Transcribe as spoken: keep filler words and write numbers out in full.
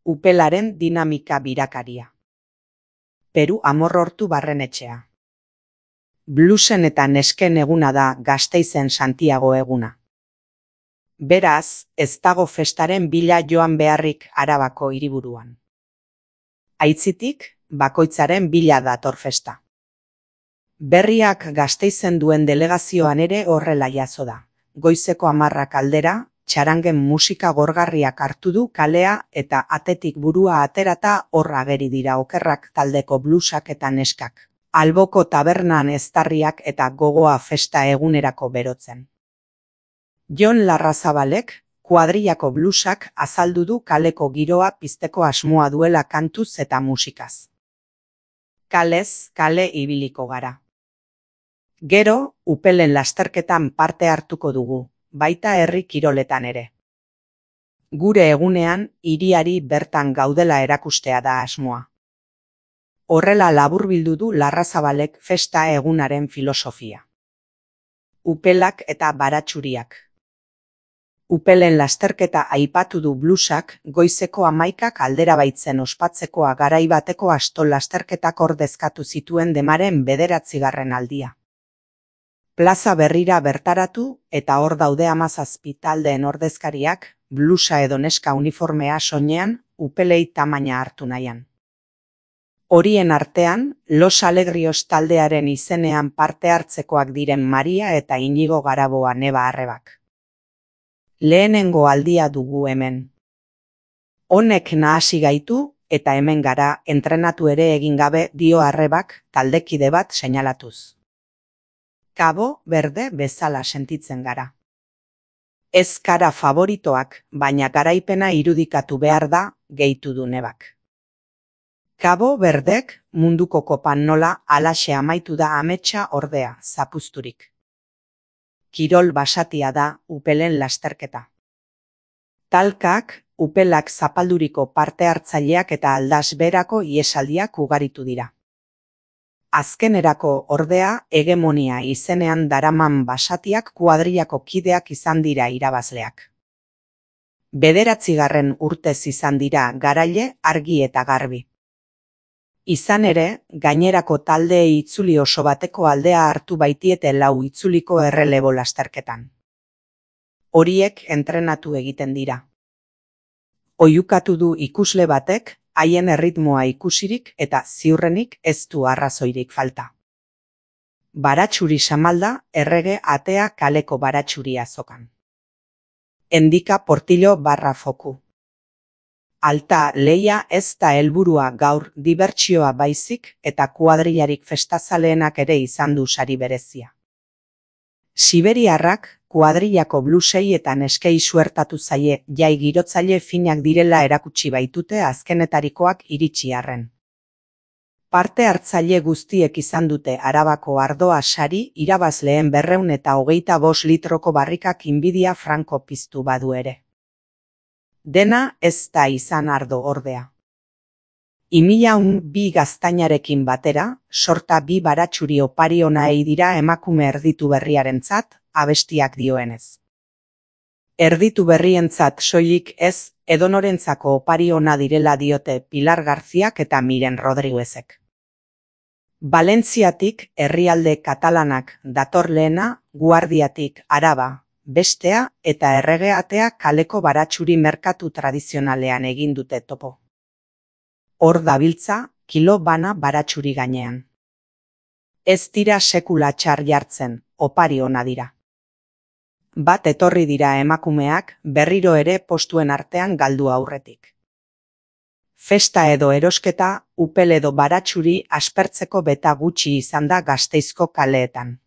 Upelaren dinamika birakaria. Peru Amorortu Barrenetxea. Bluesen eta nesken eguna da Gasteizen Santiago eguna. Beraz, ez dago festaren bila joan beharrik Arabako hiriburuan. Aitzitik, bakoitzaren bila dator festa. Berriak Gasteizen duen delegazioan ere horrela jazo da. Goizeko hamarrak aldera, txarangen musika gorgarriak hartu du kalea eta atetik burua aterata hor ageri dira okerrak taldeko blusak eta neskak. Alboko tabernan eztarriak eta gogoa festa egunerako berotzen. Jon Larrazabalek, kuadrillako blusak azaldu du kaleko giroa pizteko asmoa duela kantuz eta musikaz. Kalez, kale ibiliko gara. Gero, upelen lasterketan parte hartuko dugu, baita herri kiroletan ere. Gure egunean, hiriari bertan gaudela erakustea da asmoa. Horrela laburbildu du Larrazabalek festa egunaren filosofia. Upelak eta baratxuriak. Upelen lasterketa aipatu du blusak goizeko hamaikak aldera baitzen ospatzekoa garai bateko asto lasterketak ordezkatu zituen demaren bederatzigarren aldia. Plaza berrira bertaratu eta hor daude hamazazpi taldeen ordezkariak, blusa edo neska uniformea soinean, upelei tamaina hartu nahian. Horien artean, Los Alegrios taldearen izenean parte hartzekoak diren Maria eta Inigo Garaboa neba arrebak. Lehenengo aldia dugu hemen. Honek nahasi gaitu eta hemen gara entrenatu ere egin gabe dio arrebak taldekide bat seinalatuz. Cabo Verde bezala sentitzen gara. Ez kara favoritoak, baina garaipena irudikatu behar da, gehitu du nebak. Cabo Verdek munduko kopan nola alaxe amaitu da ametsa ordea, zapuzturik. Kirol basatia da upelen lasterketa. Talkak, upelak zapalduriko parte hartzaileak eta aldasberako iesaldiak ugaritu dira. Azkenerako ordea hegemonia izenean daraman basatiak kuadrillako kideak izan dira irabazleak. Bederatzigarren urtez izan dira garaile argi eta garbi. Izan ere, gainerako taldeei itzuli oso bateko aldea hartu baitiete lau itzuliko errelebo lasterketan. Horiek entrenatu egiten dira. Oihukatu du ikusle batek, haien erritmoa ikusirik eta ziurrenik ez du arrazoirik falta. Baratxuri samalda errege atea kaleko baratxuri azokan. Endika portillo barra foku. Alta leia ez da helburua gaur dibertsioa baizik eta kuadrillarik festazaleenak ere izan du sari berezia. Siberiarrak kuadrillako blusei eta neskei suertatu zaie jai girotzaile finak direla erakutsi baitute azkenetarikoak iritsi arren. Parte hartzaile guztiek izan dute Arabako ardoa sari irabazleen berreun eta hogeita bost litroko barrikak inbidia franko piztu badu ere. Dena ez da izan ardo ordea. Imilaun bi gaztainarekin batera, sorta bi baratxuri opari onaei dira emakume erditu berriarentzat, abestiak dioenez. Erditu berrientzat soilik ez, edonorentzako opari ona direla diote Pilar Garziak eta Miren Rodriguezek. Valentziatik herrialde katalanak dator lehena, Guardiatik Araba, bestea eta erregeatea kaleko baratxuri merkatu tradizionalean egin dute topo. Hor dabiltza, kilo bana baratxuri gainean. Ez dira sekula txar jartzen, opari ona dira. Bat etorri dira emakumeak berriro ere postuen artean galdu aurretik. Festa edo erosketa, upel edo baratxuri aspertzeko beta gutxi izan da Gasteizko kaleetan.